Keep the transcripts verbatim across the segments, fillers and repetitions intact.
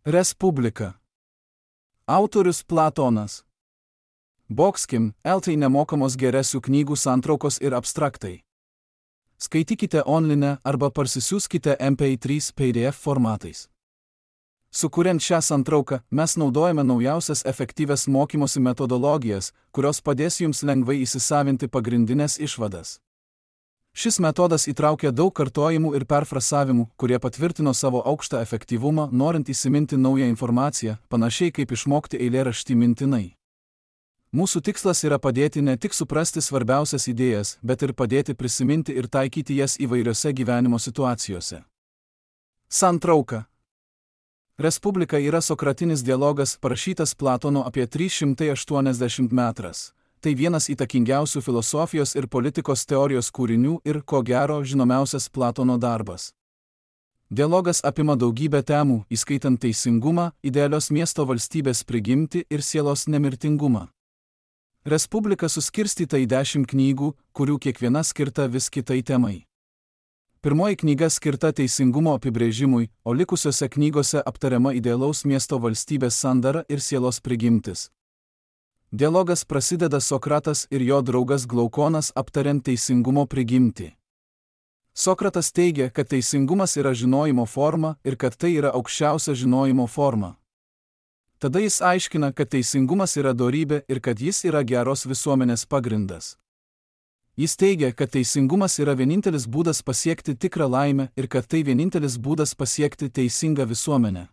Respublika. Autorius Platonas. Boxkim, eltai nemokamos geresių knygų santraukos ir abstraktai. Skaitykite online arba parsisiųskite M P trys P D F formatais. Sukuriant šią santrauką, mes naudojame naujausias efektyvias mokymosi metodologijas, kurios padės jums lengvai įsisavinti pagrindinės išvadas. Šis metodas įtraukia daug kartojimų ir perfrasavimų, kurie patvirtino savo aukštą efektyvumą, norint įsiminti naują informaciją, panašiai kaip išmokti eilėraštį mintinai. Mūsų tikslas yra padėti ne tik suprasti svarbiausias idėjas, bet ir padėti prisiminti ir taikyti jas įvairiose gyvenimo situacijose. Santrauka. Respublika yra sokratinis dialogas parašytas Platono apie trys šimtai aštuoniasdešimt metras. Tai vienas įtakingiausių filosofijos ir politikos teorijos kūrinių ir, ko gero, žinomiausias Platono darbas. Dialogas apima daugybę temų, įskaitant teisingumą, idealios miesto valstybės prigimtį ir sielos nemirtingumą. Respublika suskirstyta į dešimt knygų, kurių kiekviena skirta vis kitai temai. Pirmoji knyga skirta teisingumo apibrėžimui, o likusiose knygose aptariama idealaus miesto valstybės sandara ir sielos prigimtis. Dialogas prasideda Sokratas ir jo draugas Glaukonas aptariant teisingumo prigimtį. Sokratas teigia, kad teisingumas yra žinojimo forma ir kad tai yra aukščiausia žinojimo forma. Tada jis aiškina, kad teisingumas yra dorybė ir kad jis yra geros visuomenės pagrindas. Jis teigia, kad teisingumas yra vienintelis būdas pasiekti tikrą laimę ir kad tai vienintelis būdas pasiekti teisingą visuomenę.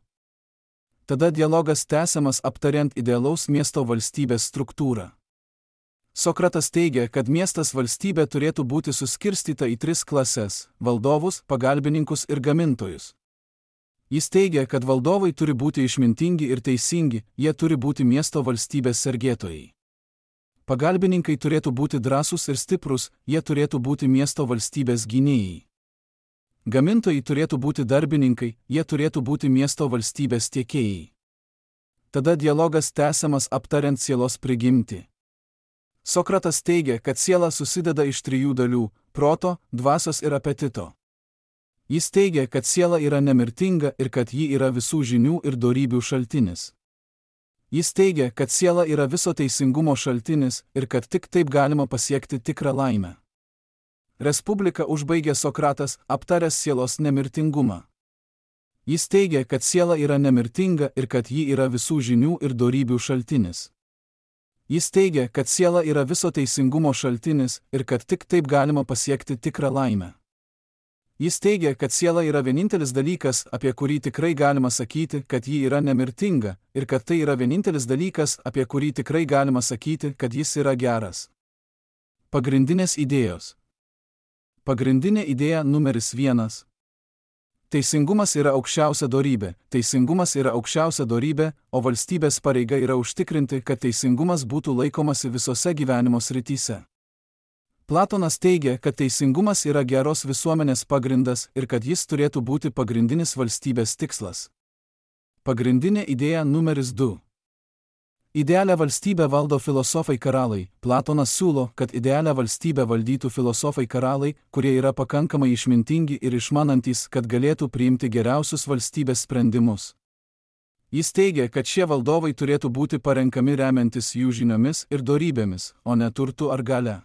Tada dialogas tęsiamas aptariant idealaus miesto valstybės struktūrą. Sokratas teigia, kad miestas valstybė turėtų būti suskirstyta į tris klases – valdovus, pagalbininkus ir gamintojus. Jis teigia, kad valdovai turi būti išmintingi ir teisingi, jie turi būti miesto valstybės sergėtojai. Pagalbininkai turėtų būti drąsūs ir stiprus, jie turėtų būti miesto valstybės gynėjai. Gamintojai turėtų būti darbininkai, jie turėtų būti miesto valstybės tiekėjai. Tada dialogas tęsiamas aptariant sielos prigimtį. Sokratas teigia, kad siela susideda iš trijų dalių – proto, dvasios ir apetito. Jis teigia, kad siela yra nemirtinga ir kad ji yra visų žinių ir dorybių šaltinis. Jis teigia, kad siela yra viso teisingumo šaltinis ir kad tik taip galima pasiekti tikrą laimę. Respublika užbaigė Sokratas, aptaręs sielos nemirtingumą. Jis teigia, kad siela yra nemirtinga ir kad ji yra visų žinių ir dorybių šaltinis. Jis teigia, kad siela yra viso teisingumo šaltinis ir kad tik taip galima pasiekti tikrą laimę. Jis teigia, kad siela yra vienintelis dalykas, apie kurį tikrai galima sakyti, kad ji yra nemirtinga, ir kad tai yra vienintelis dalykas, apie kurį tikrai galima sakyti, kad jis yra geras. Pagrindinės idėjos. Pagrindinė idėja numeris vienas. Teisingumas yra aukščiausia dorybė, teisingumas yra aukščiausia dorybė, o valstybės pareiga yra užtikrinti, kad teisingumas būtų laikomasi visose gyvenimo srityse. Platonas teigia, kad teisingumas yra geros visuomenės pagrindas ir kad jis turėtų būti pagrindinis valstybės tikslas. Pagrindinė idėja numeris du. Idealią valstybę valdo filosofai karaliai. Platonas siūlo, kad idealią valstybę valdytų filosofai karaliai, kurie yra pakankamai išmintingi ir išmanantys, kad galėtų priimti geriausius valstybės sprendimus. Jis teigia, kad šie valdovai turėtų būti parenkami remiantis jų žiniomis ir dorybėmis, o ne turtu ar galia.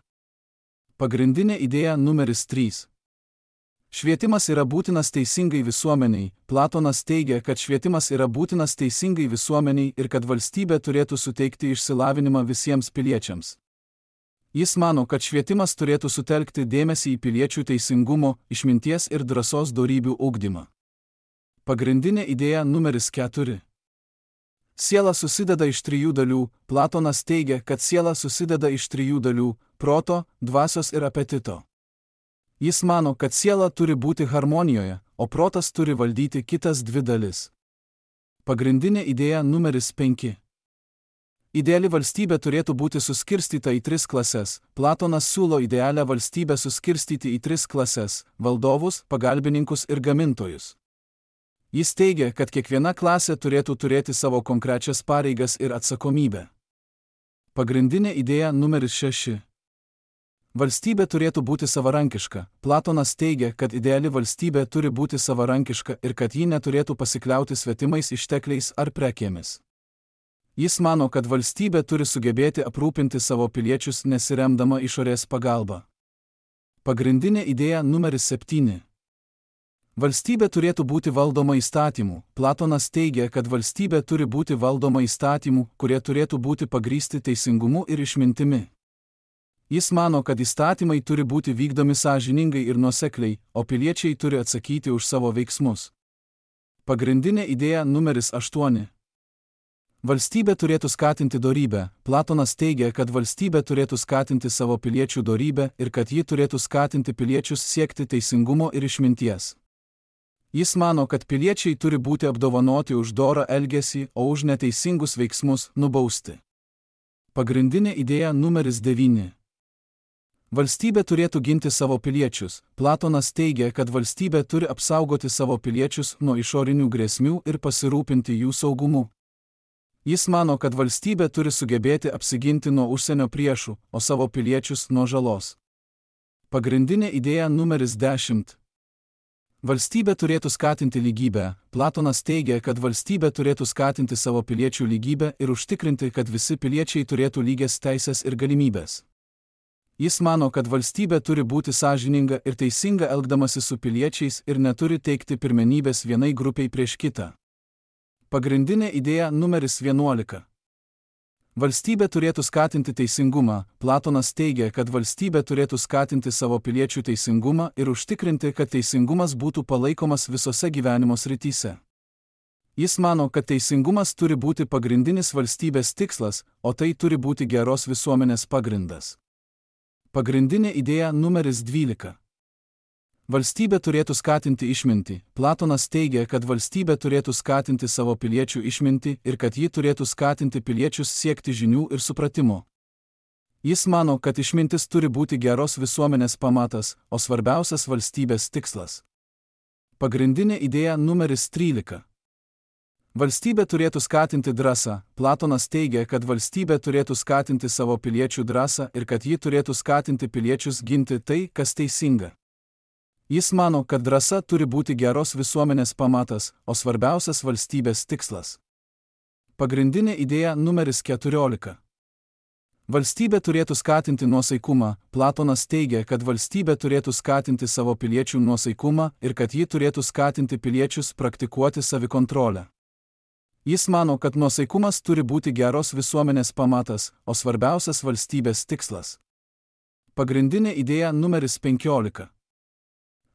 Pagrindinė idėja numeris trys. Švietimas yra būtinas teisingai visuomeniai. Platonas teigia, kad švietimas yra būtinas teisingai visuomeniai ir kad valstybė turėtų suteikti išsilavinimą visiems piliečiams. Jis mano, kad švietimas turėtų sutelkti dėmesį į piliečių teisingumo, išminties ir drąsos dorybių ugdymą. Pagrindinė idėja numeris keturi. Siela susideda iš trijų dalių. Platonas teigia, kad siela susideda iš trijų dalių – proto, dvasios ir apetito. Jis mano, kad siela turi būti harmonijoje, o protas turi valdyti kitas dvi dalis. Pagrindinė idėja numeris penki. Ideali valstybė turėtų būti suskirstyta į tris klases. Platonas siūlo idealią valstybę suskirstyti į tris klases – valdovus, pagalbininkus ir gamintojus. Jis teigia, kad kiekviena klasė turėtų turėti savo konkrečias pareigas ir atsakomybę. Pagrindinė idėja numeris šeši. Valstybė turėtų būti savarankiška. Platonas teigia, kad ideali valstybė turi būti savarankiška ir kad ji neturėtų pasikliauti svetimais ištekliais ar prekėmis. Jis mano, kad valstybė turi sugebėti aprūpinti savo piliečius nesiremdama išorės pagalba. Pagrindinė idėja numeris septyni. Valstybė turėtų būti valdoma įstatymų. Platonas teigia, kad valstybė turi būti valdoma įstatymų, kurie turėtų būti pagrįsti teisingumu ir išmintimi. Jis mano, kad įstatymai turi būti vykdomi sąžiningai ir nuosekliai, o piliečiai turi atsakyti už savo veiksmus. Pagrindinė idėja numeris aštuoni. Valstybė turėtų skatinti dorybę. Platonas teigia, kad valstybė turėtų skatinti savo piliečių dorybę ir kad ji turėtų skatinti piliečius siekti teisingumo ir išminties. Jis mano, kad piliečiai turi būti apdovanoti už dorą elgesį, o už neteisingus veiksmus nubausti. Pagrindinė idėja numeris devyni. Valstybė turėtų ginti savo piliečius. Platonas teigia, kad valstybė turi apsaugoti savo piliečius nuo išorinių grėsmių ir pasirūpinti jų saugumu. Jis mano, kad valstybė turi sugebėti apsiginti nuo užsienio priešų, o savo piliečius nuo žalos. Pagrindinė idėja numeris dešimt. Valstybė turėtų skatinti lygybę. Platonas teigia, kad valstybė turėtų skatinti savo piliečių lygybę ir užtikrinti, kad visi piliečiai turėtų lygias teisės ir galimybės. Jis mano, kad valstybė turi būti sąžininga ir teisinga elgdamasi su piliečiais ir neturi teikti pirmenybės vienai grupiai prieš kitą. Pagrindinė idėja numeris vienuolika. Valstybė turėtų skatinti teisingumą. Platonas teigia, kad valstybė turėtų skatinti savo piliečių teisingumą ir užtikrinti, kad teisingumas būtų palaikomas visose gyvenimo srityse. Jis mano, kad teisingumas turi būti pagrindinis valstybės tikslas, o tai turi būti geros visuomenės pagrindas. Pagrindinė idėja numeris dvylika. Valstybė turėtų skatinti išmintį. Platonas teigia, kad valstybė turėtų skatinti savo piliečių išmintį ir kad ji turėtų skatinti piliečius siekti žinių ir supratimo. Jis mano, kad išmintis turi būti geros visuomenės pamatas, o svarbiausias valstybės tikslas. Pagrindinė idėja numeris trylika. Valstybė turėtų skatinti drąsą. Platonas teigia, kad valstybė turėtų skatinti savo piliečių drąsą ir kad ji turėtų skatinti piliečius ginti tai, kas teisinga. Jis mano, kad drąsa turi būti geros visuomenės pamatas, o svarbiausias valstybės tikslas. Pagrindinė idėja numeris keturiolika. Valstybė turėtų skatinti nuosaikumą. Platonas teigia, kad valstybė turėtų skatinti savo piliečių nuosaikumą ir kad ji turėtų skatinti piliečius praktikuoti savikontrolę. Jis mano, kad nuosaikumas turi būti geros visuomenės pamatas, o svarbiausias valstybės tikslas. Pagrindinė idėja numeris penkiolika.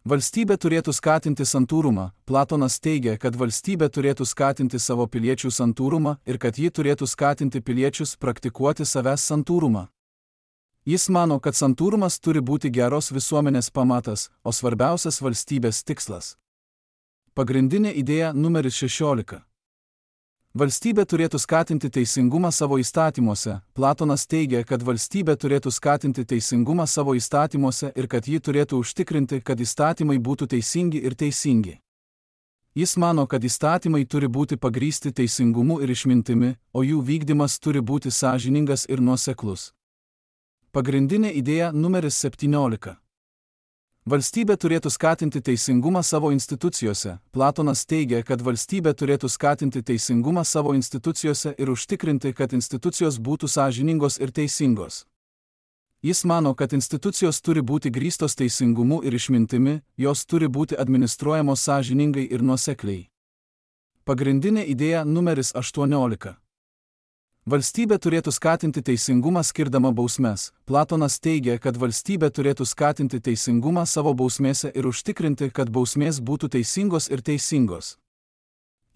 Valstybė turėtų skatinti santūrumą. Platonas teigia, kad valstybė turėtų skatinti savo piliečių santūrumą ir kad ji turėtų skatinti piliečius praktikuoti savęs santūrumą. Jis mano, kad santūrumas turi būti geros visuomenės pamatas, o svarbiausias valstybės tikslas. Pagrindinė idėja numeris šešiolika. Valstybė turėtų skatinti teisingumą savo įstatymuose. Platonas teigia, kad valstybė turėtų skatinti teisingumą savo įstatymuose ir kad ji turėtų užtikrinti, kad įstatymai būtų teisingi ir teisingi. Jis mano, kad įstatymai turi būti pagrįsti teisingumu ir išmintimi, o jų vykdymas turi būti sąžiningas ir nuoseklus. Pagrindinė idėja numeris septyniolika. Valstybė turėtų skatinti teisingumą savo institucijose. Platonas teigia, kad valstybė turėtų skatinti teisingumą savo institucijose ir užtikrinti, kad institucijos būtų sąžiningos ir teisingos. Jis mano, kad institucijos turi būti grįstos teisingumu ir išmintimi, jos turi būti administruojamos sąžiningai ir nuosekliai. Pagrindinė idėja numeris aštuoniolika. Valstybė turėtų skatinti teisingumą skirdama bausmes. Platonas teigia, kad valstybė turėtų skatinti teisingumą savo bausmėse ir užtikrinti, kad bausmės būtų teisingos ir teisingos.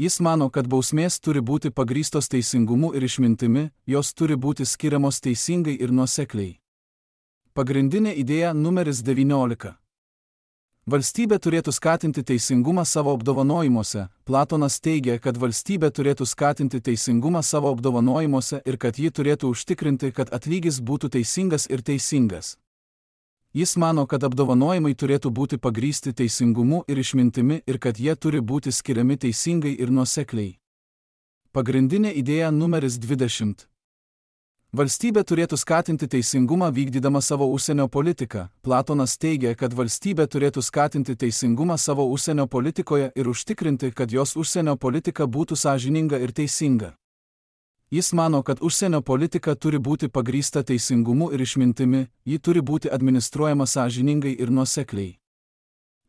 Jis mano, kad bausmės turi būti pagrįstos teisingumu ir išmintimi, jos turi būti skiriamos teisingai ir nuosekliai. Pagrindinė idėja numeris devyniolika. Valstybė turėtų skatinti teisingumą savo apdovanojimuose. Platonas teigia, kad valstybė turėtų skatinti teisingumą savo apdovanojimuose ir kad ji turėtų užtikrinti, kad atlygis būtų teisingas ir teisingas. Jis mano, kad apdovanojimai turėtų būti pagrįsti teisingumu ir išmintimi ir kad jie turi būti skiriami teisingai ir nuosekliai. Pagrindinė idėja numeris dvidešimt. Valstybė turėtų skatinti teisingumą vykdydama savo užsienio politiką. Platonas teigia, kad valstybė turėtų skatinti teisingumą savo užsienio politikoje ir užtikrinti, kad jos užsienio politika būtų sąžininga ir teisinga. Jis mano, kad užsienio politika turi būti pagrįsta teisingumu ir išmintimi, ji turi būti administruojama sąžiningai ir nuosekliai.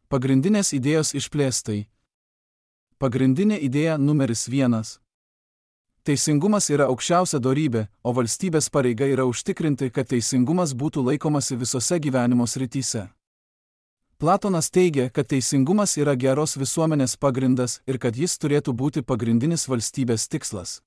Pagrindinės idėjos išplėstai. Pagrindinė idėja numeris vienas. Teisingumas yra aukščiausia dorybė, o valstybės pareiga yra užtikrinti, kad teisingumas būtų laikomasi visose gyvenimo srityse. Platonas teigia, kad teisingumas yra geros visuomenės pagrindas ir kad jis turėtų būti pagrindinis valstybės tikslas.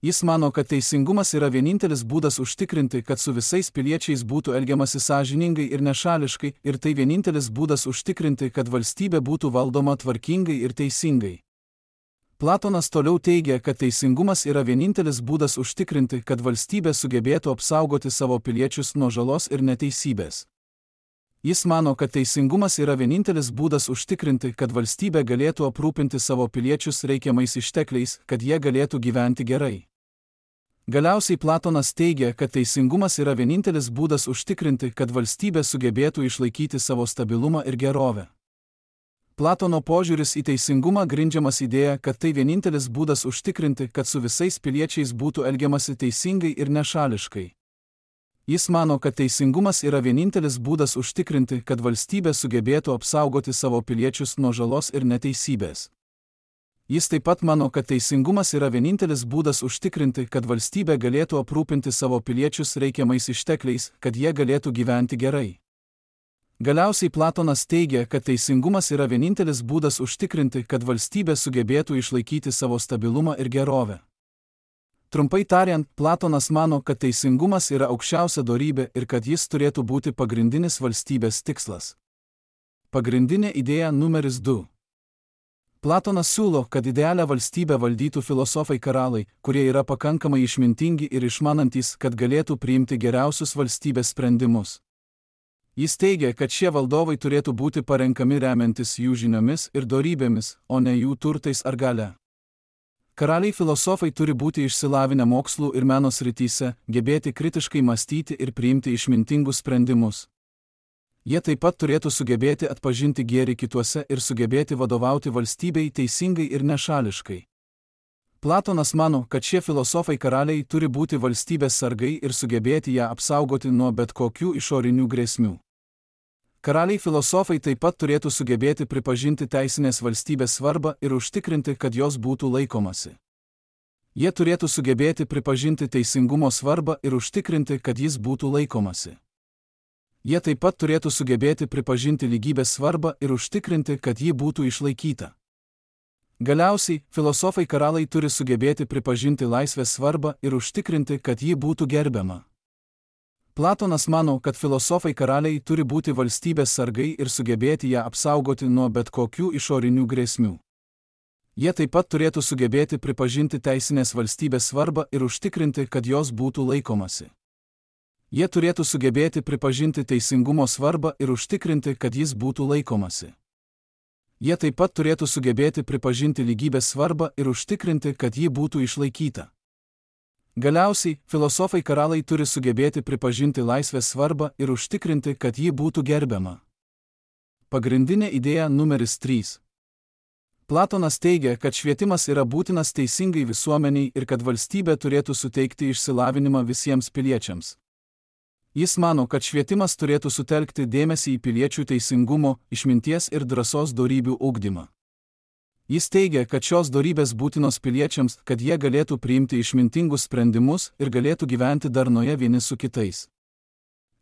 Jis mano, kad teisingumas yra vienintelis būdas užtikrinti, kad su visais piliečiais būtų elgiamasi sąžiningai ir nešališkai, ir tai vienintelis būdas užtikrinti, kad valstybė būtų valdoma tvarkingai ir teisingai. Platonas toliau teigia, kad teisingumas yra vienintelis būdas užtikrinti, kad valstybė sugebėtų apsaugoti savo piliečius nuo žalos ir neteisybės. Jis mano, kad teisingumas yra vienintelis būdas užtikrinti, kad valstybė galėtų aprūpinti savo piliečius reikiamais ištekliais, kad jie galėtų gyventi gerai. Galiausiai Platonas teigia, kad teisingumas yra vienintelis būdas užtikrinti, kad valstybė sugebėtų išlaikyti savo stabilumą ir gerovę. Platono požiūris į teisingumą grindžiamas idėja, kad tai vienintelis būdas užtikrinti, kad su visais piliečiais būtų elgiamasi teisingai ir nešališkai. Jis mano, kad teisingumas yra vienintelis būdas užtikrinti, kad valstybė sugebėtų apsaugoti savo piliečius nuo žalos ir neteisybės. Jis taip pat mano, kad teisingumas yra vienintelis būdas užtikrinti, kad valstybė galėtų aprūpinti savo piliečius reikiamais ištekliais, kad jie galėtų gyventi gerai. Galiausiai Platonas teigia, kad teisingumas yra vienintelis būdas užtikrinti, kad valstybė sugebėtų išlaikyti savo stabilumą ir gerovę. Trumpai tariant, Platonas mano, kad teisingumas yra aukščiausia dorybė ir kad jis turėtų būti pagrindinis valstybės tikslas. Pagrindinė idėja numeris du. Platonas siūlo, kad idealią valstybę valdytų filosofai karaliai, kurie yra pakankamai išmintingi ir išmanantys, kad galėtų priimti geriausius valstybės sprendimus. Jis teigia, kad šie valdovai turėtų būti parenkami remiantis jų žiniomis ir dorybėmis, o ne jų turtais ar galia. Karaliai filosofai turi būti išsilavinę mokslų ir meno srityse, gebėti kritiškai mąstyti ir priimti išmintingus sprendimus. Jie taip pat turėtų sugebėti atpažinti gėrį kituose ir sugebėti vadovauti valstybei teisingai ir nešališkai. Platonas mano, kad šie filosofai karaliai turi būti valstybės sargai ir sugebėti ją apsaugoti nuo bet kokių išorinių grėsmių. Karaliai filosofai taip pat turėtų sugebėti pripažinti teisinės valstybės svarbą ir užtikrinti, kad jos būtų laikomasi. Jie turėtų sugebėti pripažinti teisingumo svarbą ir užtikrinti, kad jis būtų laikomasi. Jie taip pat turėtų sugebėti pripažinti lygybės svarbą ir užtikrinti, kad ji būtų išlaikyta. Galiausiai, filosofai karaliai turi sugebėti pripažinti laisvės svarbą ir užtikrinti, kad ji būtų gerbiama. Platonas mano, kad filosofai karaliai turi būti valstybės sargai ir sugebėti ją apsaugoti nuo bet kokių išorinių grėsmių. Jie taip pat turėtų sugebėti pripažinti teisinės valstybės svarbą ir užtikrinti, kad jos būtų laikomasi. Jie turėtų sugebėti pripažinti teisingumo svarbą ir užtikrinti, kad jis būtų laikomasi. Jie taip pat turėtų sugebėti pripažinti lygybės svarbą ir užtikrinti, kad ji būtų išlaikyta. Galiausiai, filosofai karaliai turi sugebėti pripažinti laisvės svarbą ir užtikrinti, kad ji būtų gerbiama. Pagrindinė idėja numeris trys. Platonas teigia, kad švietimas yra būtinas teisingai visuomeniai ir kad valstybė turėtų suteikti išsilavinimą visiems piliečiams. Jis mano, kad švietimas turėtų sutelkti dėmesį į piliečių teisingumo, išminties ir drąsos dorybių ugdymą. Jis teigia, kad šios dorybės būtinos piliečiams, kad jie galėtų priimti išmintingus sprendimus ir galėtų gyventi darnoje vieni su kitais.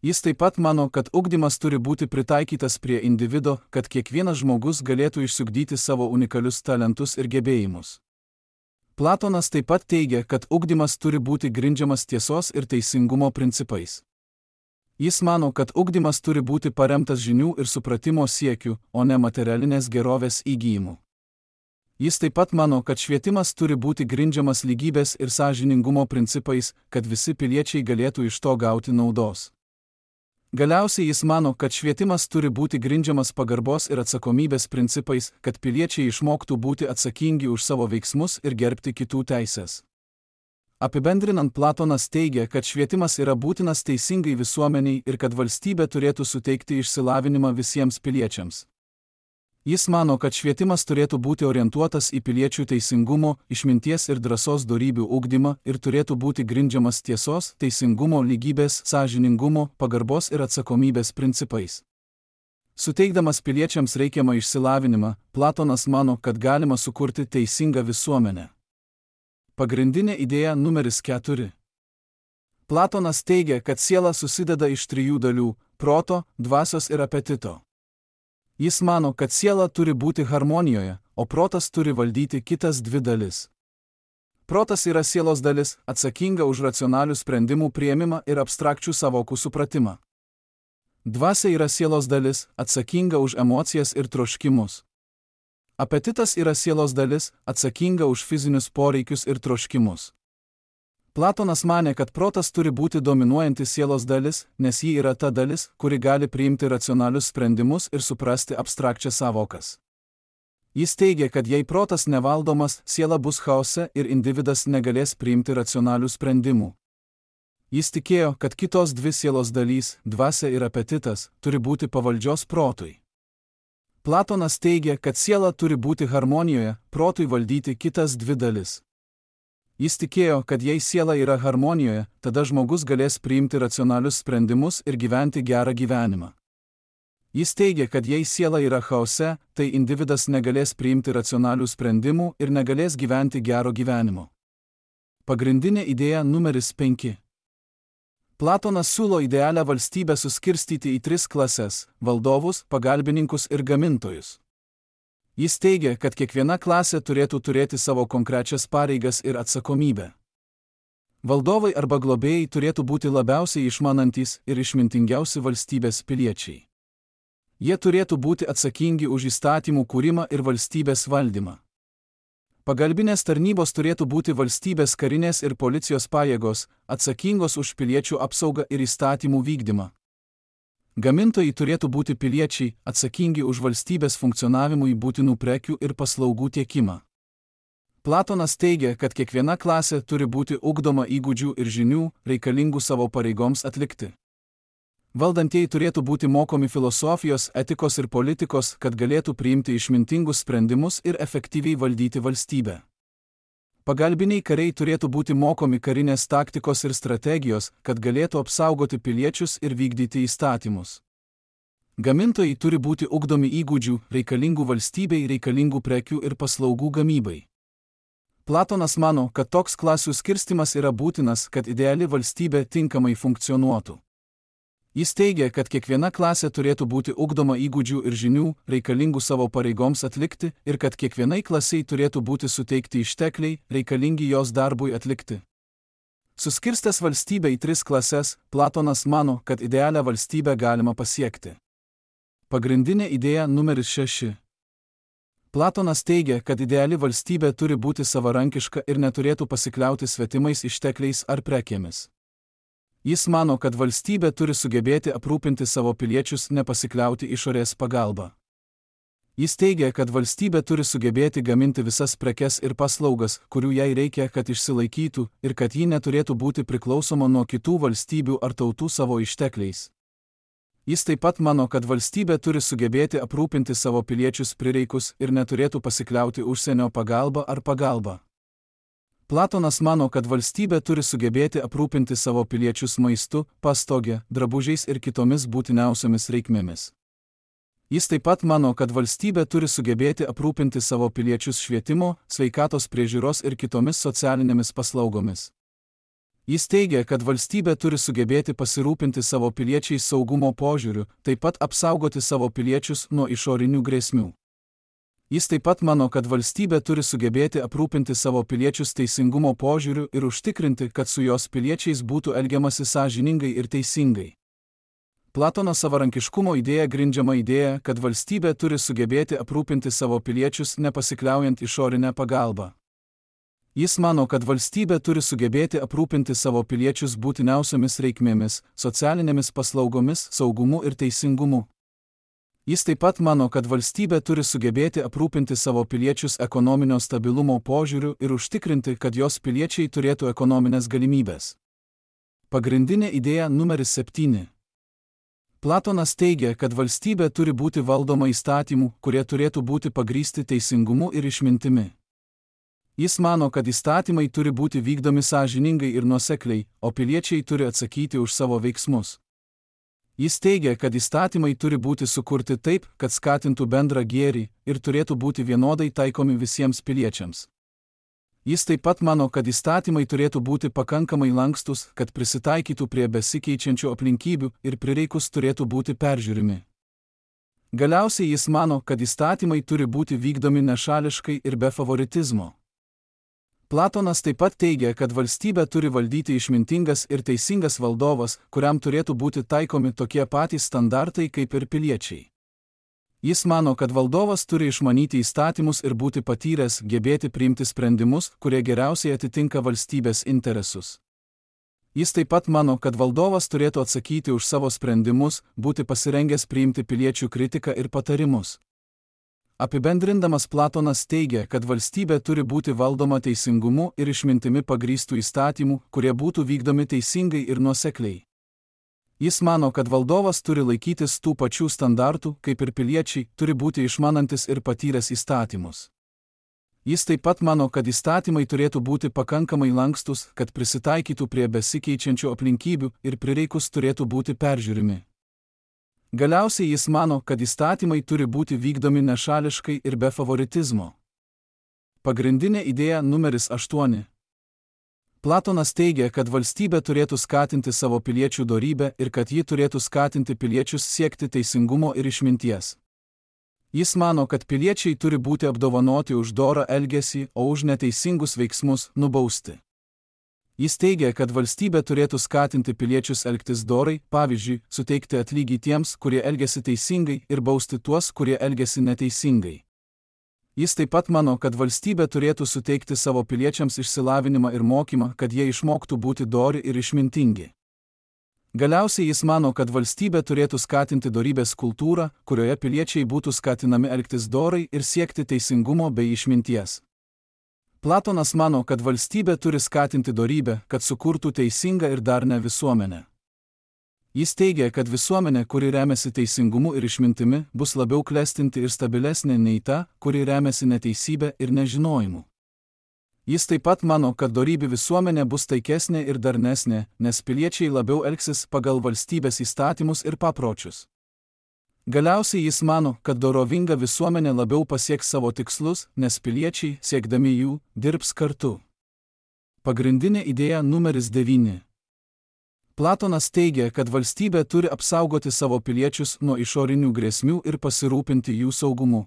Jis taip pat mano, kad ugdymas turi būti pritaikytas prie individo, kad kiekvienas žmogus galėtų išsiugdyti savo unikalius talentus ir gebėjimus. Platonas taip pat teigia, kad ugdymas turi būti grindžiamas tiesos ir teisingumo principais. Jis mano, kad ugdymas turi būti paremtas žinių ir supratimo siekiu, o ne materialinės gerovės įgyjimu. Jis taip pat mano, kad švietimas turi būti grindžiamas lygybės ir sąžiningumo principais, kad visi piliečiai galėtų iš to gauti naudos. Galiausiai jis mano, kad švietimas turi būti grindžiamas pagarbos ir atsakomybės principais, kad piliečiai išmoktų būti atsakingi už savo veiksmus ir gerbti kitų teises. Apibendrinant, Platonas teigia, kad švietimas yra būtinas teisingai visuomeniai ir kad valstybė turėtų suteikti išsilavinimą visiems piliečiams. Jis mano, kad švietimas turėtų būti orientuotas į piliečių teisingumo, išminties ir drąsos dorybių ugdymą ir turėtų būti grindžiamas tiesos, teisingumo, lygybės, sąžiningumo, pagarbos ir atsakomybės principais. Suteikdamas piliečiams reikiamą išsilavinimą, Platonas mano, kad galima sukurti teisingą visuomenę. Pagrindinė idėja numeris keturi. Platonas teigia, kad siela susideda iš trijų dalių – proto, dvasios ir apetito. Jis mano, kad siela turi būti harmonijoje, o protas turi valdyti kitas dvi dalis. Protas yra sielos dalis, atsakinga už racionalių sprendimų priėmimą ir abstrakčių sąvokų supratimą. Dvasia yra sielos dalis, atsakinga už emocijas ir troškimus. Apetitas yra sielos dalis, atsakinga už fizinius poreikius ir troškimus. Platonas manė, kad protas turi būti dominuojanti sielos dalis, nes ji yra ta dalis, kuri gali priimti racionalius sprendimus ir suprasti abstrakčias sąvokas. Jis teigia, kad jei protas nevaldomas, siela bus chaose ir individas negalės priimti racionalių sprendimų. Jis tikėjo, kad kitos dvi sielos dalys, dvasia ir apetitas, turi būti pavaldžios protui. Platonas teigia, kad siela turi būti harmonijoje, protui valdyti kitas dvi dalis. Jis tikėjo, kad jei siela yra harmonijoje, tada žmogus galės priimti racionalius sprendimus ir gyventi gerą gyvenimą. Jis teigia, kad jei siela yra chaose, tai individas negalės priimti racionalių sprendimų ir negalės gyventi gero gyvenimo. Pagrindinė idėja numeris penki. Platonas siūlo idealią valstybę suskirstyti į tris klases – valdovus, pagalbininkus ir gamintojus. Jis teigia, kad kiekviena klasė turėtų turėti savo konkrečias pareigas ir atsakomybę. Valdovai arba globėjai turėtų būti labiausiai išmanantys ir išmintingiausi valstybės piliečiai. Jie turėtų būti atsakingi už įstatymų kūrimą ir valstybės valdymą. Pagalbinės tarnybos turėtų būti valstybės karinės ir policijos pajėgos, atsakingos už piliečių apsaugą ir įstatymų vykdymą. Gamintojai turėtų būti piliečiai, atsakingi už valstybės funkcionavimui būtinų prekių ir paslaugų tiekimą. Platonas teigia, kad kiekviena klasė turi būti ugdoma įgūdžių ir žinių, reikalingų savo pareigoms atlikti. Valdantieji turėtų būti mokomi filosofijos, etikos ir politikos, kad galėtų priimti išmintingus sprendimus ir efektyviai valdyti valstybę. Pagalbiniai kariai turėtų būti mokomi karinės taktikos ir strategijos, kad galėtų apsaugoti piliečius ir vykdyti įstatymus. Gamintojai turi būti ugdomi įgūdžių, reikalingų valstybei, reikalingų prekių ir paslaugų gamybai. Platonas mano, kad toks klasių skirstimas yra būtinas, kad ideali valstybė tinkamai funkcionuotų. Jis teigia, kad kiekviena klasė turėtų būti ugdoma įgūdžių ir žinių, reikalingų savo pareigoms atlikti, ir kad kiekvienai klasiai turėtų būti suteikti ištekliai, reikalingi jos darbui atlikti. Suskirstęs valstybę į tris klases, Platonas mano, kad idealią valstybę galima pasiekti. Pagrindinė idėja numeris šeši. Platonas teigia, kad ideali valstybė turi būti savarankiška ir neturėtų pasikliauti svetimais ištekliais ar prekėmis. Jis mano, kad valstybė turi sugebėti aprūpinti savo piliečius, nepasikliauti išorės pagalba. Jis teigia, kad valstybė turi sugebėti gaminti visas prekes ir paslaugas, kurių jai reikia, kad išsilaikytų, ir kad ji neturėtų būti priklausoma nuo kitų valstybių ar tautų savo ištekliais. Jis taip pat mano, kad valstybė turi sugebėti aprūpinti savo piliečius prireikus ir neturėtų pasikliauti užsienio pagalba ar pagalba. Platonas mano, kad valstybė turi sugebėti aprūpinti savo piliečius maistu, pastogę, drabužiais ir kitomis būtiniausiomis reikmėmis. Jis taip pat mano, kad valstybė turi sugebėti aprūpinti savo piliečius švietimo, sveikatos priežiūros ir kitomis socialinėmis paslaugomis. Jis teigia, kad valstybė turi sugebėti pasirūpinti savo piliečiais saugumo požiūriu, taip pat apsaugoti savo piliečius nuo išorinių grėsmių. Jis taip pat mano, kad valstybė turi sugebėti aprūpinti savo piliečius teisingumo požiūriu ir užtikrinti, kad su jos piliečiais būtų elgiamasi sąžiningai ir teisingai. Platono savarankiškumo idėja grindžiama idėja, kad valstybė turi sugebėti aprūpinti savo piliečius nepasikliaujant išorinę pagalbą. Jis mano, kad valstybė turi sugebėti aprūpinti savo piliečius būtiniausiomis reikmėmis, socialinėmis paslaugomis, saugumu ir teisingumu. Jis taip pat mano, kad valstybė turi sugebėti aprūpinti savo piliečius ekonominio stabilumo požiūriu ir užtikrinti, kad jos piliečiai turėtų ekonominės galimybės. Pagrindinė idėja numeris septyni. Platonas teigia, kad valstybė turi būti valdoma įstatymų, kurie turėtų būti pagrįsti teisingumu ir išmintimi. Jis mano, kad įstatymai turi būti vykdomi sąžiningai ir nuosekliai, o piliečiai turi atsakyti už savo veiksmus. Jis teigia, kad įstatymai turi būti sukurti taip, kad skatintų bendrą gėrį ir turėtų būti vienodai taikomi visiems piliečiams. Jis taip pat mano, kad įstatymai turėtų būti pakankamai lankstus, kad prisitaikytų prie besikeičiančių aplinkybių ir prireikus turėtų būti peržiūrimi. Galiausiai jis mano, kad įstatymai turi būti vykdomi nešališkai ir be favoritizmo. Platonas taip pat teigia, kad valstybę turi valdyti išmintingas ir teisingas valdovas, kuriam turėtų būti taikomi tokie patys standartai kaip ir piliečiai. Jis mano, kad valdovas turi išmanyti įstatymus ir būti patyręs, gebėti priimti sprendimus, kurie geriausiai atitinka valstybės interesus. Jis taip pat mano, kad valdovas turėtų atsakyti už savo sprendimus, būti pasirengęs priimti piliečių kritiką ir patarimus. Apibendrindamas, Platonas teigia, kad valstybė turi būti valdoma teisingumu ir išmintimi pagrįstų įstatymų, kurie būtų vykdomi teisingai ir nuosekliai. Jis mano, kad valdovas turi laikytis tų pačių standartų, kaip ir piliečiai, turi būti išmanantis ir patyręs įstatymus. Jis taip pat mano, kad įstatymai turėtų būti pakankamai lankstus, kad prisitaikytų prie besikeičiančių aplinkybių ir prireikus turėtų būti peržiūrimi. Galiausiai jis mano, kad įstatymai turi būti vykdomi nešališkai ir be favoritizmo. Pagrindinė idėja numeris aštuoni. Platonas teigia, kad valstybė turėtų skatinti savo piliečių dorybę ir kad ji turėtų skatinti piliečius siekti teisingumo ir išminties. Jis mano, kad piliečiai turi būti apdovanoti už dorą elgesį, o už neteisingus veiksmus nubausti. Jis teigia, kad valstybė turėtų skatinti piliečius elgtis dorai, pavyzdžiui, suteikti atlygį tiems, kurie elgiasi teisingai, ir bausti tuos, kurie elgiasi neteisingai. Jis taip pat mano, kad valstybė turėtų suteikti savo piliečiams išsilavinimą ir mokymą, kad jie išmoktų būti dori ir išmintingi. Galiausiai jis mano, kad valstybė turėtų skatinti dorybės kultūrą, kurioje piliečiai būtų skatinami elgtis dorai ir siekti teisingumo bei išminties. Platonas mano, kad valstybė turi skatinti dorybę, kad sukurtų teisingą ir darnią visuomenę. Jis teigia, kad visuomenė, kuri remiasi teisingumu ir išmintimi, bus labiau klestinti ir stabilesnė nei ta, kuri remiasi neteisybė ir nežinojimu. Jis taip pat mano, kad dorybių visuomenė bus taikesnė ir darnesnė, nes piliečiai labiau elgsis pagal valstybės įstatymus ir papročius. Galiausiai jis mano, kad dorovinga visuomenė labiau pasieks savo tikslus, nes piliečiai, siekdami jų, dirbs kartu. Pagrindinė idėja numeris devyni. Platonas teigia, kad valstybė turi apsaugoti savo piliečius nuo išorinių grėsmių ir pasirūpinti jų saugumu.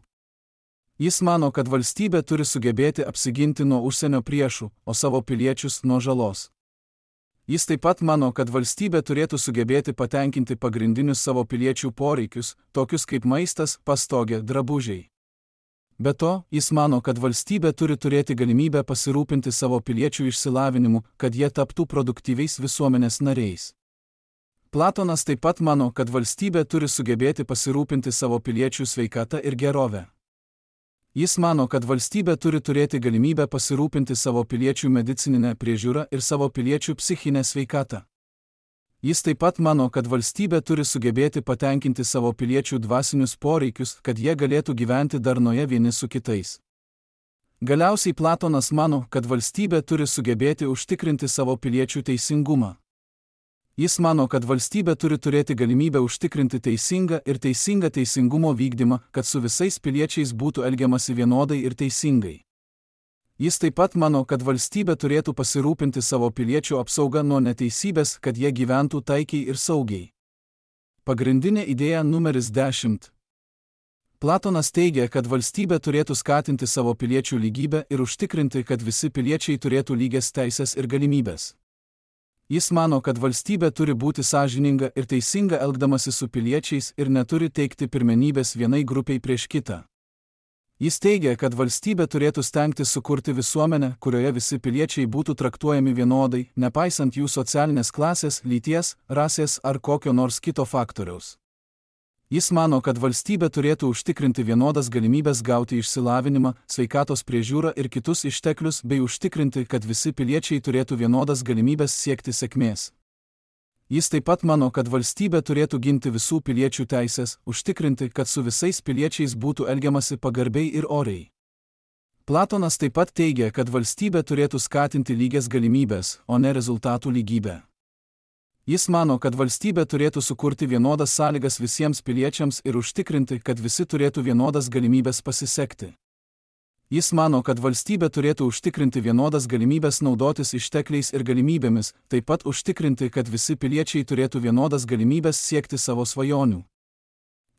Jis mano, kad valstybė turi sugebėti apsiginti nuo užsienio priešų, o savo piliečius nuo žalos. Jis taip pat mano, kad valstybė turėtų sugebėti patenkinti pagrindinius savo piliečių poreikius, tokius kaip maistas, pastogė, drabužiai. Be to, jis mano, kad valstybė turi turėti galimybę pasirūpinti savo piliečių išsilavinimu, kad jie taptų produktyviais visuomenės nariais. Platonas taip pat mano, kad valstybė turi sugebėti pasirūpinti savo piliečių sveikatą ir gerovę. Jis mano, kad valstybė turi turėti galimybę pasirūpinti savo piliečių medicininę priežiūrą ir savo piliečių psichinę sveikatą. Jis taip pat mano, kad valstybė turi sugebėti patenkinti savo piliečių dvasinius poreikius, kad jie galėtų gyventi darnoje vieni su kitais. Galiausiai Platonas mano, kad valstybė turi sugebėti užtikrinti savo piliečių teisingumą. Jis mano, kad valstybė turi turėti galimybę užtikrinti teisingą ir teisingą teisingumo vykdymą, kad su visais piliečiais būtų elgiamasi vienodai ir teisingai. Jis taip pat mano, kad valstybė turėtų pasirūpinti savo piliečių apsaugą nuo neteisybės, kad jie gyventų taikiai ir saugiai. Pagrindinė idėja numeris dešimt. Platonas teigia, kad valstybė turėtų skatinti savo piliečių lygybę ir užtikrinti, kad visi piliečiai turėtų lygias teisės ir galimybės. Jis mano, kad valstybė turi būti sąžininga ir teisinga elgdamasi su piliečiais ir neturi teikti pirmenybės vienai grupiai prieš kitą. Jis teigia, kad valstybė turėtų stengtis sukurti visuomenę, kurioje visi piliečiai būtų traktuojami vienodai, nepaisant jų socialinės klasės, lyties, rasės ar kokio nors kito faktoriaus. Jis mano, kad valstybė turėtų užtikrinti vienodas galimybės gauti išsilavinimą, sveikatos priežiūrą ir kitus išteklius bei užtikrinti, kad visi piliečiai turėtų vienodas galimybės siekti sėkmės. Jis taip pat mano, kad valstybė turėtų ginti visų piliečių teisės, užtikrinti, kad su visais piliečiais būtų elgiamasi pagarbiai ir oriai. Platonas taip pat teigia, kad valstybė turėtų skatinti lygias galimybės, o ne rezultatų lygybę. Jis mano, kad valstybė turėtų sukurti vienodas sąlygas visiems piliečiams ir užtikrinti, kad visi turėtų vienodas galimybės pasisekti. Jis mano, kad valstybė turėtų užtikrinti vienodas galimybės naudotis ištekliais ir galimybėmis, taip pat užtikrinti, kad visi piliečiai turėtų vienodas galimybės siekti savo svajonių.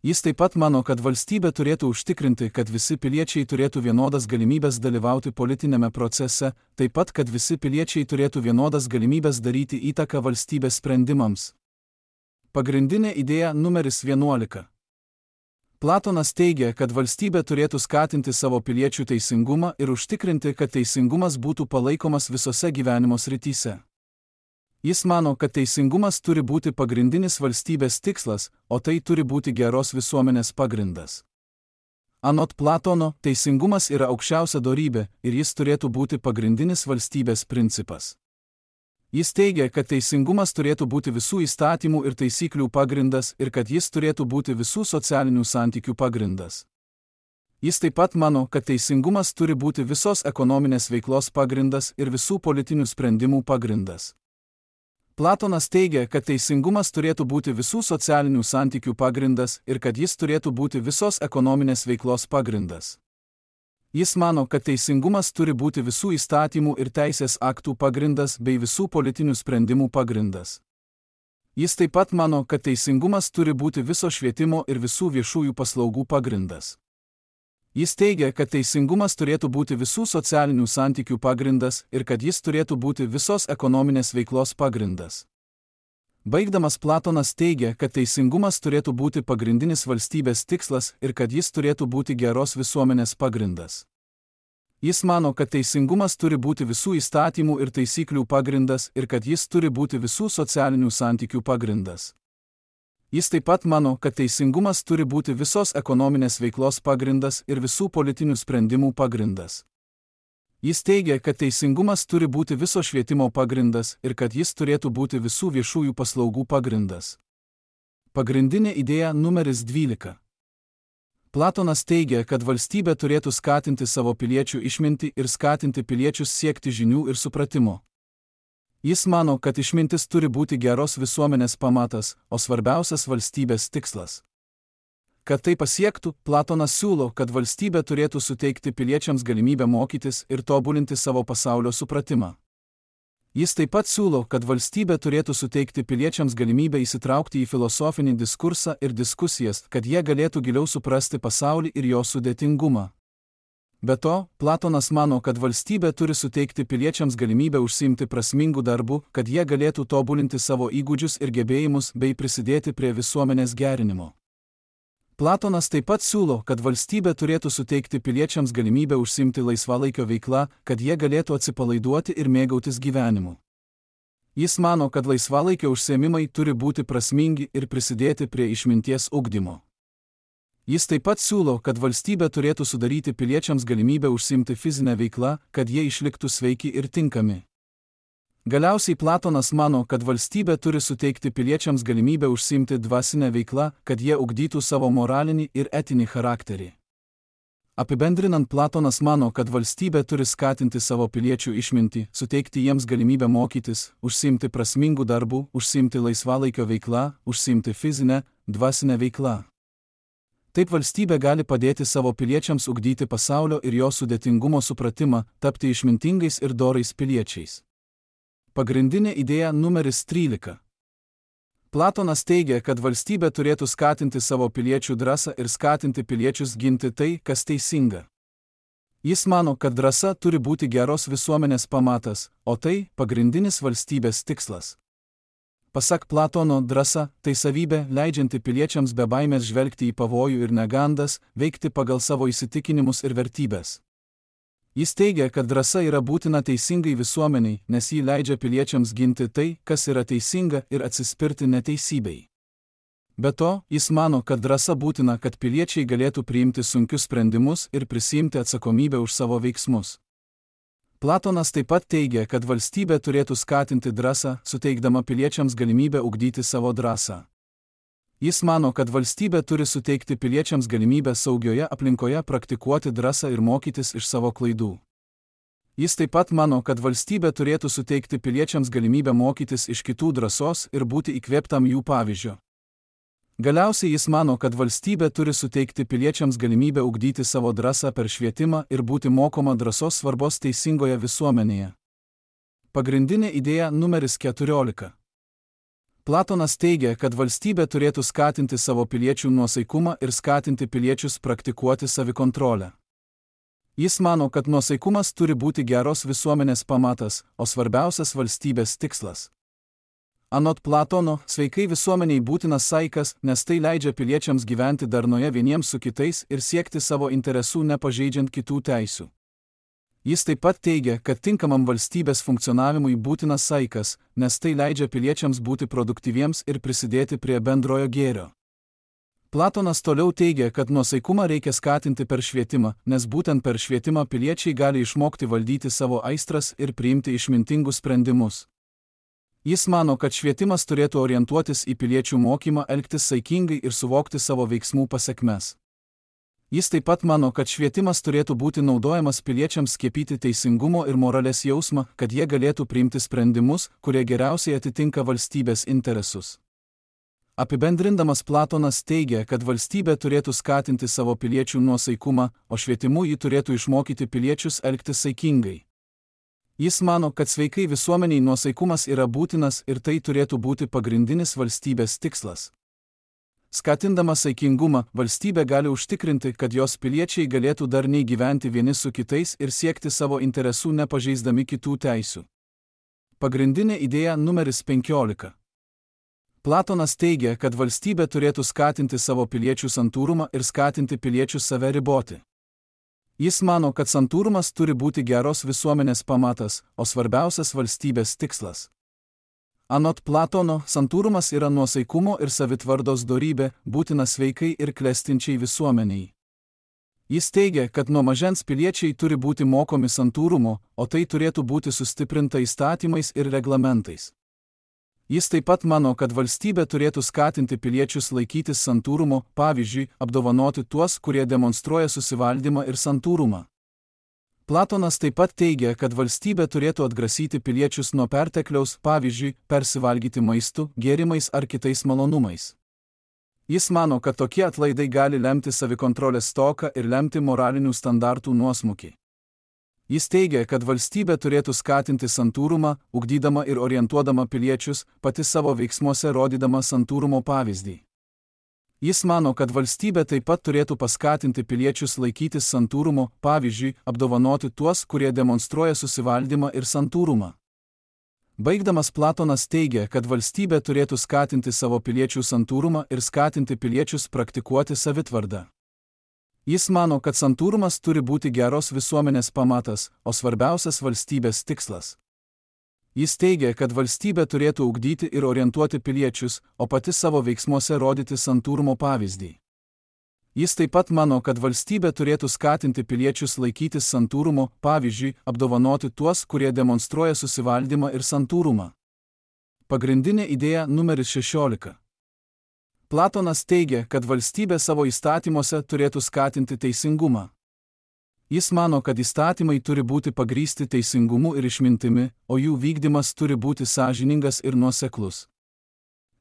Jis taip pat mano, kad valstybė turėtų užtikrinti, kad visi piliečiai turėtų vienodas galimybės dalyvauti politinėme procese, taip pat, kad visi piliečiai turėtų vienodas galimybės daryti įtaką valstybės sprendimams. Pagrindinė idėja numeris vienuolika. Platonas teigia, kad valstybė turėtų skatinti savo piliečių teisingumą ir užtikrinti, kad teisingumas būtų palaikomas visose gyvenimo srityse. Jis mano, kad teisingumas turi būti pagrindinis valstybės tikslas, o tai turi būti geros visuomenės pagrindas. Anot Platono, teisingumas yra aukščiausia dorybė ir jis turėtų būti pagrindinis valstybės principas. Jis teigia, kad teisingumas turėtų būti visų įstatymų ir taisyklių pagrindas ir kad jis turėtų būti visų socialinių santykių pagrindas. Jis taip pat mano, kad teisingumas turi būti visos ekonominės veiklos pagrindas ir visų politinių sprendimų pagrindas. Platonas teigia, kad teisingumas turėtų būti visų socialinių santykių pagrindas ir kad jis turėtų būti visos ekonominės veiklos pagrindas. Jis mano, kad teisingumas turi būti visų įstatymų ir teisės aktų pagrindas bei visų politinių sprendimų pagrindas. Jis taip pat mano, kad teisingumas turi būti viso švietimo ir visų viešųjų paslaugų pagrindas. Jis teigia, kad teisingumas turėtų būti visų socialinių santykių pagrindas ir kad jis turėtų būti visos ekonominės veiklos pagrindas. Baigdamas Platonas teigia, kad teisingumas turėtų būti pagrindinis valstybės tikslas ir kad jis turėtų būti geros visuomenės pagrindas. Jis mano, kad teisingumas turi būti visų įstatymų ir taisyklių pagrindas ir kad jis turi būti visų socialinių santykių pagrindas. Jis taip pat mano, kad teisingumas turi būti visos ekonominės veiklos pagrindas ir visų politinių sprendimų pagrindas. Jis teigia, kad teisingumas turi būti viso švietimo pagrindas ir kad jis turėtų būti visų viešųjų paslaugų pagrindas. Pagrindinė idėja numeris dvylika. Platonas teigia, kad valstybė turėtų skatinti savo piliečių išmintį ir skatinti piliečius siekti žinių ir supratimo. Jis mano, kad išmintis turi būti geros visuomenės pamatas, o svarbiausias valstybės tikslas. Kad tai pasiektų, Platonas siūlo, kad valstybė turėtų suteikti piliečiams galimybę mokytis ir tobulinti savo pasaulio supratimą. Jis taip pat siūlo, kad valstybė turėtų suteikti piliečiams galimybę įsitraukti į filosofinį diskursą ir diskusijas, kad jie galėtų giliau suprasti pasaulį ir jo sudėtingumą. Be to, Platonas mano, kad valstybė turi suteikti piliečiams galimybę užsiimti prasmingų darbų, kad jie galėtų tobulinti savo įgūdžius ir gebėjimus bei prisidėti prie visuomenės gerinimo. Platonas taip pat siūlo, kad valstybė turėtų suteikti piliečiams galimybę užsiimti laisvalaikio veiklą, kad jie galėtų atsipalaiduoti ir mėgautis gyvenimu. Jis mano, kad laisvalaikio užsiėmimai turi būti prasmingi ir prisidėti prie išminties ugdymo. Jis taip pat siūlo, kad valstybė turėtų sudaryti piliečiams galimybę užsiimti fizinę veiklą, kad jie išliktų sveiki ir tinkami. Galiausiai Platonas mano, kad valstybė turi suteikti piliečiams galimybę užsiimti dvasinę veiklą, kad jie ugdytų savo moralinį ir etinį charakterį. Apibendrinant, Platonas mano, kad valstybė turi skatinti savo piliečių išmintį, suteikti jiems galimybę mokytis, užsiimti prasmingų darbų, užsiimti laisvalaikio veiklą, užsiimti fizinę, dvasinę veiklą. Taip valstybė gali padėti savo piliečiams ugdyti pasaulio ir jo sudėtingumo supratimą, tapti išmintingais ir dorais piliečiais. Pagrindinė idėja numeris trylika. Platonas teigia, kad valstybė turėtų skatinti savo piliečių drąsą ir skatinti piliečius ginti tai, kas teisinga. Jis mano, kad drąsa turi būti geros visuomenės pamatas, o tai pagrindinis valstybės tikslas. Pasak Platono, drąsa – tai savybė, leidžianti piliečiams be baimės žvelgti į pavojų ir negandas, veikti pagal savo įsitikinimus ir vertybės. Jis teigia, kad drąsa yra būtina teisingai visuomeniai, nes ji leidžia piliečiams ginti tai, kas yra teisinga ir atsispirti neteisybei. Be to, jis mano, kad drąsa būtina, kad piliečiai galėtų priimti sunkius sprendimus ir prisiimti atsakomybę už savo veiksmus. Platonas taip pat teigia, kad valstybė turėtų skatinti drąsą, suteikdama piliečiams galimybę ugdyti savo drąsą. Jis mano, kad valstybė turi suteikti piliečiams galimybę saugioje aplinkoje praktikuoti drąsą ir mokytis iš savo klaidų. Jis taip pat mano, kad valstybė turėtų suteikti piliečiams galimybę mokytis iš kitų drąsos ir būti įkvėptam jų pavyzdžio. Galiausiai jis mano, kad valstybė turi suteikti piliečiams galimybę ugdyti savo drąsą per švietimą ir būti mokoma drąsos svarbos teisingoje visuomenėje. Pagrindinė idėja numeris keturiolika. Platonas teigia, kad valstybė turėtų skatinti savo piliečių nuosaikumą ir skatinti piliečius praktikuoti savikontrolę. Jis mano, kad nuosaikumas turi būti geros visuomenės pamatas, o svarbiausias valstybės tikslas. Anot Platono, sveikai visuomeniai būtinas saikas, nes tai leidžia piliečiams gyventi darnoje vieniems su kitais ir siekti savo interesų nepažeidžiant kitų teisių. Jis taip pat teigia, kad tinkamam valstybės funkcionavimui būtinas saikas, nes tai leidžia piliečiams būti produktyviems ir prisidėti prie bendrojo gėrio. Platonas toliau teigia, kad nuosaikumą reikia skatinti per švietimą, nes būtent per švietimą piliečiai gali išmokti valdyti savo aistras ir priimti išmintingus sprendimus. Jis mano, kad švietimas turėtų orientuotis į piliečių mokymą elgtis saikingai ir suvokti savo veiksmų pasekmes. Jis taip pat mano, kad švietimas turėtų būti naudojamas piliečiams skiepyti teisingumo ir moralės jausmą, kad jie galėtų priimti sprendimus, kurie geriausiai atitinka valstybės interesus. Apibendrindamas Platonas teigia, kad valstybė turėtų skatinti savo piliečių nuosaikumą, o švietimu ji turėtų išmokyti piliečius elgtis saikingai. Jis mano, kad sveikai visuomeniai nuosaikumas yra būtinas ir tai turėtų būti pagrindinis valstybės tikslas. Skatindama saikingumą, valstybė gali užtikrinti, kad jos piliečiai galėtų darniai gyventi vieni su kitais ir siekti savo interesų nepažeisdami kitų teisių. Pagrindinė idėja numeris penkiolika. Platonas teigia, kad valstybė turėtų skatinti savo piliečių santūrumą ir skatinti piliečius save riboti. Jis mano, kad santūrumas turi būti geros visuomenės pamatas, o svarbiausias valstybės tikslas. Anot Platono, santūrumas yra nuosaikumo ir savitvardos dorybė, būtina sveikai ir klestinčiai visuomeniai. Jis teigia, kad nuo mažens piliečiai turi būti mokomi santūrumo, o tai turėtų būti sustiprinta įstatymais ir reglamentais. Jis taip pat mano, kad valstybė turėtų skatinti piliečius laikytis santūrumo, pavyzdžiui, apdovanoti tuos, kurie demonstruoja susivaldymą ir santūrumą. Platonas taip pat teigia, kad valstybė turėtų atgrasyti piliečius nuo pertekliaus, pavyzdžiui, persivalgyti maistu, gėrimais ar kitais malonumais. Jis mano, kad tokie atlaidai gali lemti savikontrolės stoką ir lemti moralinių standartų nuosmukį. Jis teigia, kad valstybė turėtų skatinti santūrumą, ugdydama ir orientuodama piliečius, pati savo veiksmuose rodydama santūrumo pavyzdį. Jis mano, kad valstybė taip pat turėtų paskatinti piliečius laikytis santūrumo, pavyzdžiui, apdovanoti tuos, kurie demonstruoja susivaldymą ir santūrumą. Baigdamas Platonas teigia, kad valstybė turėtų skatinti savo piliečių santūrumą ir skatinti piliečius praktikuoti savitvardą. Jis mano, kad santūrumas turi būti geros visuomenės pamatas, o svarbiausias valstybės tikslas. Jis teigia, kad valstybė turėtų ugdyti ir orientuoti piliečius, o pati savo veiksmuose rodyti santūrumo pavyzdį. Jis taip pat mano, kad valstybė turėtų skatinti piliečius laikytis santūrumo, pavyzdžiui, apdovanoti tuos, kurie demonstruoja susivaldymą ir santūrumą. Pagrindinė idėja numeris šešiolika. Platonas teigia, kad valstybė savo įstatymuose turėtų skatinti teisingumą. Jis mano, kad įstatymai turi būti pagrįsti teisingumu ir išmintimi, o jų vykdymas turi būti sąžiningas ir nuoseklus.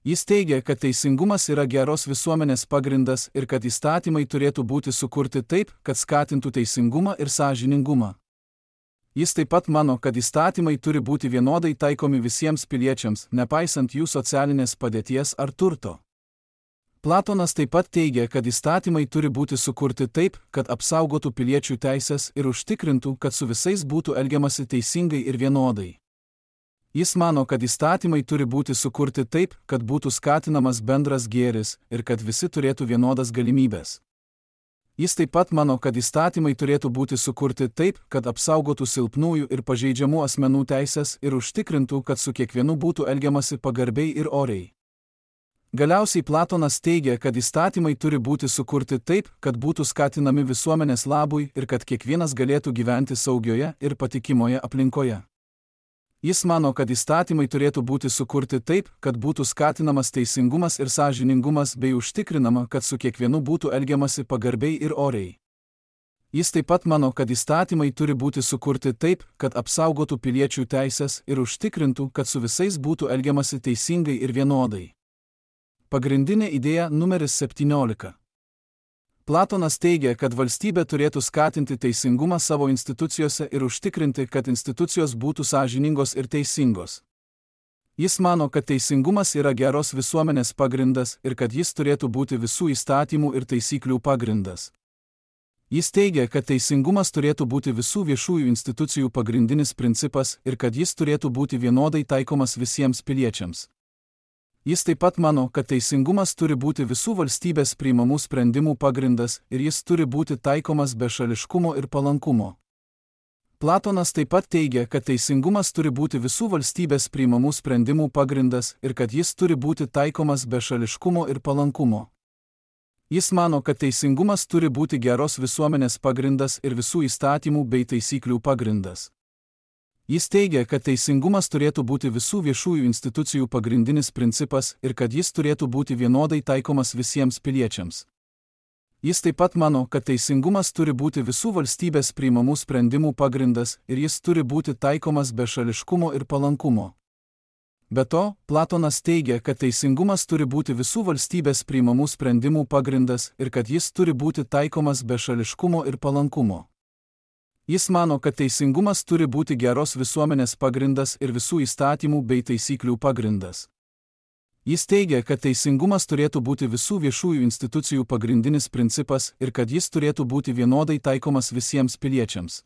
Jis teigia, kad teisingumas yra geros visuomenės pagrindas ir kad įstatymai turėtų būti sukurti taip, kad skatintų teisingumą ir sąžiningumą. Jis taip pat mano, kad įstatymai turi būti vienodai taikomi visiems piliečiams, nepaisant jų socialinės padėties ar turto. Platonas taip pat teigia, kad įstatymai turi būti sukurti taip, kad apsaugotų piliečių teisės ir užtikrintų, kad su visais būtų elgiamasi teisingai ir vienodai. Jis mano, kad įstatymai turi būti sukurti taip, kad būtų skatinamas bendras gėris ir kad visi turėtų vienodas galimybės. Jis taip pat mano, kad įstatymai turėtų būti sukurti taip, kad apsaugotų silpnųjų ir pažeidžiamų asmenų teisės ir užtikrintų, kad su kiekvienu būtų elgiamasi pagarbiai ir oriai. Galiausiai Platonas teigia, kad įstatymai turi būti sukurti taip, kad būtų skatinami visuomenės labui ir kad kiekvienas galėtų gyventi saugioje ir patikimoje aplinkoje. Jis mano, kad įstatymai turėtų būti sukurti taip, kad būtų skatinamas teisingumas ir sąžiningumas bei užtikrinama, kad su kiekvienu būtų elgiamasi pagarbiai ir oriai. Jis taip pat mano, kad įstatymai turi būti sukurti taip, kad apsaugotų piliečių teisės ir užtikrintų, kad su visais būtų elgiamasi teisingai ir vienodai. Pagrindinė idėja numeris septyniolika. Platonas teigia, kad valstybė turėtų skatinti teisingumą savo institucijose ir užtikrinti, kad institucijos būtų sąžiningos ir teisingos. Jis mano, kad teisingumas yra geros visuomenės pagrindas ir kad jis turėtų būti visų įstatymų ir taisyklių pagrindas. Jis teigia, kad teisingumas turėtų būti visų viešųjų institucijų pagrindinis principas ir kad jis turėtų būti vienodai taikomas visiems piliečiams. Jis taip pat mano, kad teisingumas turi būti visų valstybės priimamų sprendimų pagrindas ir jis turi būti taikomas be šališkumo ir palankumo. Platonas taip pat teigia, kad teisingumas turi būti visų valstybės priimamų sprendimų pagrindas ir kad jis turi būti taikomas be šališkumo ir palankumo. Jis mano, kad teisingumas turi būti geros visuomenės pagrindas ir visų įstatymų bei taisyklių pagrindas. Jis teigia, kad teisingumas turėtų būti visų viešųjų institucijų pagrindinis principas ir kad jis turėtų būti vienodai taikomas visiems piliečiams. Jis taip pat mano, kad teisingumas turi būti visų valstybės priimamų sprendimų pagrindas ir jis turi būti taikomas be šališkumo ir palankumo. Be to, Platonas teigia, kad teisingumas turi būti visų valstybės priimamų sprendimų pagrindas ir kad jis turi būti taikomas be šališkumo ir palankumo. Jis mano, kad teisingumas turi būti geros visuomenės pagrindas ir visų įstatymų bei taisyklių pagrindas. Jis teigia, kad teisingumas turėtų būti visų viešųjų institucijų pagrindinis principas ir kad jis turėtų būti vienodai taikomas visiems piliečiams.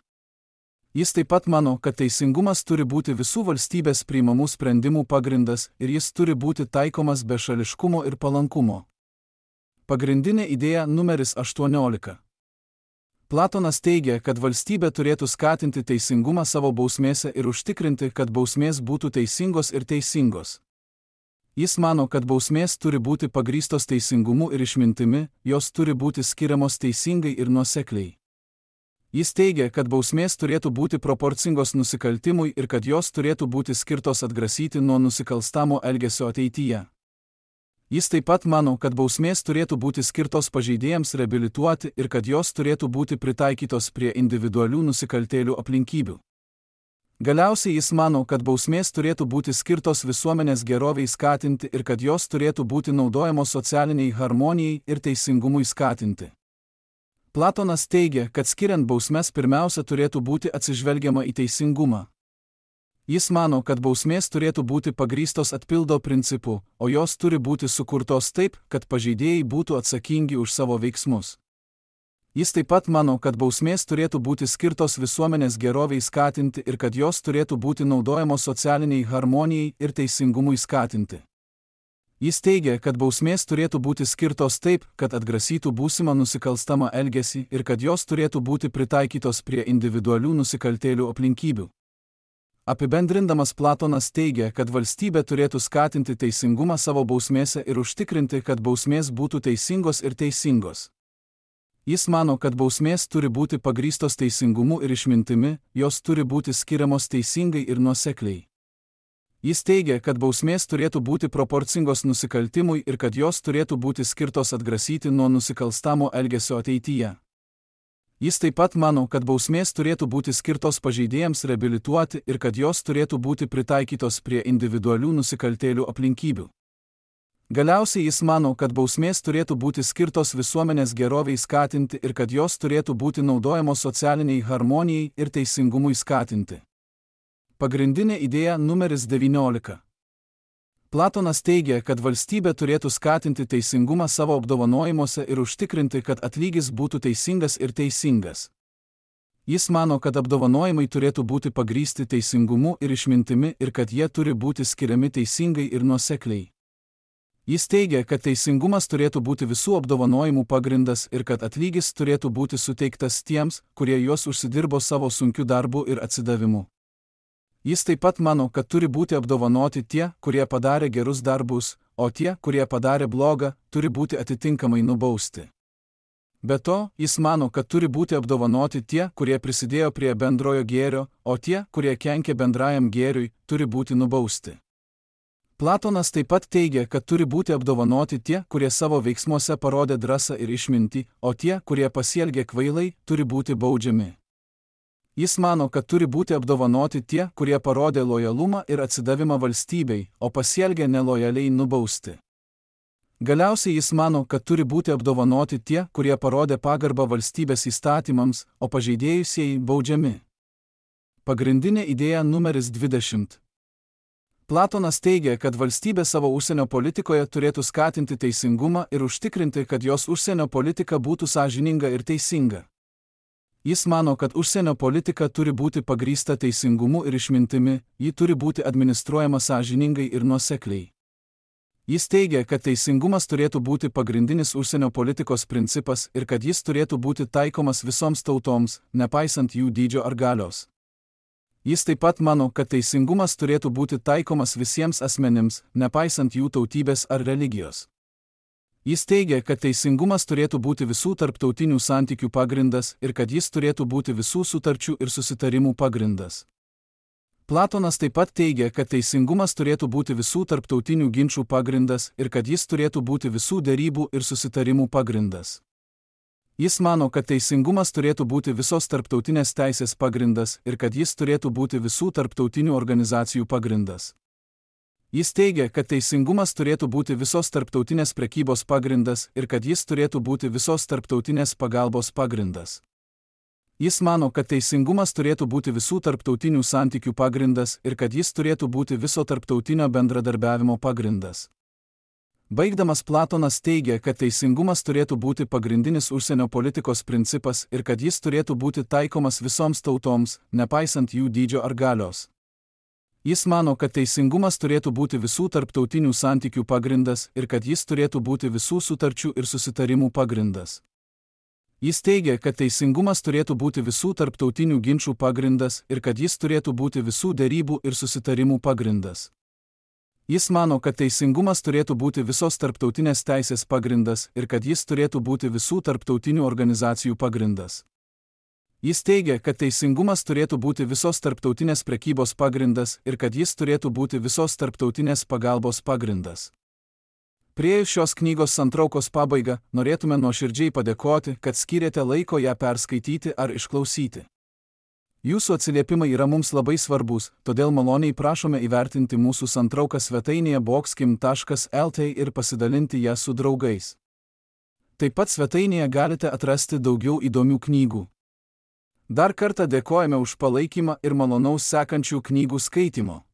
Jis taip pat mano, kad teisingumas turi būti visų valstybės priimamų sprendimų pagrindas ir jis turi būti taikomas be šališkumo ir palankumo. Pagrindinė idėja numeris aštuoniolika. Platonas teigia, kad valstybė turėtų skatinti teisingumą savo bausmėse ir užtikrinti, kad bausmės būtų teisingos ir teisingos. Jis mano, kad bausmės turi būti pagrįstos teisingumu ir išmintimi, jos turi būti skiriamos teisingai ir nuosekliai. Jis teigia, kad bausmės turėtų būti proporcingos nusikaltimui ir kad jos turėtų būti skirtos atgrasyti nuo nusikalstamo elgesio ateityje. Jis taip pat mano, kad bausmės turėtų būti skirtos pažeidėjams reabilituoti ir kad jos turėtų būti pritaikytos prie individualių nusikaltėlių aplinkybių. Galiausiai jis mano, kad bausmės turėtų būti skirtos visuomenės geroviai skatinti ir kad jos turėtų būti naudojamos socialiniai harmonijai ir teisingumui skatinti. Platonas teigia, kad skiriant bausmes pirmiausia turėtų būti atsižvelgiama į teisingumą. Jis mano, kad bausmės turėtų būti pagrįstos atpildo principu, o jos turi būti sukurtos taip, kad pažeidėjai būtų atsakingi už savo veiksmus. Jis taip pat mano, kad bausmės turėtų būti skirtos visuomenės geroviai skatinti ir kad jos turėtų būti naudojamos socialiniai harmonijai ir teisingumui skatinti. Jis teigia, kad bausmės turėtų būti skirtos taip, kad atgrasytų būsimą nusikalstamą elgesį ir kad jos turėtų būti pritaikytos prie individualių nusikaltėlių aplinkybių. Apibendrindamas Platonas teigia, kad valstybė turėtų skatinti teisingumą savo bausmėse ir užtikrinti, kad bausmės būtų teisingos ir teisingos. Jis mano, kad bausmės turi būti pagrįstos teisingumu ir išmintimi, jos turi būti skiriamos teisingai ir nuosekliai. Jis teigia, kad bausmės turėtų būti proporcingos nusikaltimui ir kad jos turėtų būti skirtos atgrasyti nuo nusikalstamo elgesio ateityje. Jis taip pat mano, kad bausmės turėtų būti skirtos pažeidėjams reabilituoti ir kad jos turėtų būti pritaikytos prie individualių nusikaltėlių aplinkybių. Galiausiai jis mano, kad bausmės turėtų būti skirtos visuomenės geroviai skatinti ir kad jos turėtų būti naudojamos socialiniai harmonijai ir teisingumui skatinti. Pagrindinė idėja numeris devyniolika. Platonas teigia, kad valstybė turėtų skatinti teisingumą savo apdovanojimuose ir užtikrinti, kad atlygis būtų teisingas ir teisingas. Jis mano, kad apdovanojimai turėtų būti pagrįsti teisingumu ir išmintimi ir kad jie turi būti skiriami teisingai ir nuosekliai. Jis teigia, kad teisingumas turėtų būti visų apdovanojimų pagrindas ir kad atlygis turėtų būti suteiktas tiems, kurie juos užsidirbo savo sunkiu darbu ir atsidavimu. Jis taip pat mano, kad turi būti apdovanoti tie, kurie padarė gerus darbus, o tie, kurie padarė blogą, turi būti atitinkamai nubausti. Be to, jis mano, kad turi būti apdovanoti tie, kurie prisidėjo prie bendrojo gėrio, o tie, kurie kenkė bendrajam gėriui, turi būti nubausti. Platonas taip pat teigia, kad turi būti apdovanoti tie, kurie savo veiksmuose parodė drąsą ir išmintį, o tie, kurie pasielgė kvailai, turi būti baudžiami. Jis mano, kad turi būti apdovanoti tie, kurie parodė lojalumą ir atsidavimą valstybei, o pasielgė nelojaliai nubausti. Galiausiai jis mano, kad turi būti apdovanoti tie, kurie parodė pagarbą valstybės įstatymams, o pažeidėjusieji baudžiami. Pagrindinė idėja numeris dvidešimt. Platonas teigia, kad valstybė savo užsienio politikoje turėtų skatinti teisingumą ir užtikrinti, kad jos užsienio politika būtų sąžininga ir teisinga. Jis mano, kad užsienio politika turi būti pagrįsta teisingumu ir išmintimi, ji turi būti administruojama sąžiningai ir nuosekliai. Jis teigia, kad teisingumas turėtų būti pagrindinis užsienio politikos principas ir kad jis turėtų būti taikomas visoms tautoms, nepaisant jų dydžio ar galios. Jis taip pat mano, kad teisingumas turėtų būti taikomas visiems asmenims, nepaisant jų tautybės ar religijos. Jis teigia, kad teisingumas turėtų būti visų tarptautinių santykių pagrindas ir kad jis turėtų būti visų sutarčių ir susitarimų pagrindas. Platonas taip pat teigia, kad teisingumas turėtų būti visų tarptautinių ginčų pagrindas ir kad jis turėtų būti visų derybų ir susitarimų pagrindas. Jis mano, kad teisingumas turėtų būti visos tarptautinės teisės pagrindas ir kad jis turėtų būti visų tarptautinių organizacijų pagrindas. Jis teigia, kad teisingumas turėtų būti visos tarptautinės prekybos pagrindas ir kad jis turėtų būti visos tarptautinės pagalbos pagrindas. Jis mano, kad teisingumas turėtų būti visų tarptautinių santykių pagrindas ir kad jis turėtų būti viso tarptautinio bendradarbiavimo pagrindas. Baigdamas Platonas teigia, kad teisingumas turėtų būti pagrindinis užsienio politikos principas ir kad jis turėtų būti taikomas visoms tautoms, nepaisant jų dydžio ar galios. Jis mano, kad teisingumas turėtų būti visų tarptautinių santykių pagrindas ir kad jis turėtų būti visų sutarčių ir susitarimų pagrindas. Jis teigia, kad teisingumas turėtų būti visų tarptautinių ginčų pagrindas ir kad jis turėtų būti visų derybų ir susitarimų pagrindas. Jis mano, kad teisingumas turėtų būti visos tarptautinės teisės pagrindas ir kad jis turėtų būti visų tarptautinių organizacijų pagrindas. Jis teigia, kad teisingumas turėtų būti visos tarptautinės prekybos pagrindas ir kad jis turėtų būti visos tarptautinės pagalbos pagrindas. Priėjus šios knygos santraukos pabaigą, norėtume nuoširdžiai padėkoti, kad skyrėte laiko ją perskaityti ar išklausyti. Jūsų atsiliepimai yra mums labai svarbus, todėl maloniai prašome įvertinti mūsų santrauką svetainėje boxkim taškas lt ir pasidalinti ją su draugais. Taip pat svetainėje galite atrasti daugiau įdomių knygų. Dar kartą dėkojame už palaikymą ir malonaus sekančių knygų skaitimo.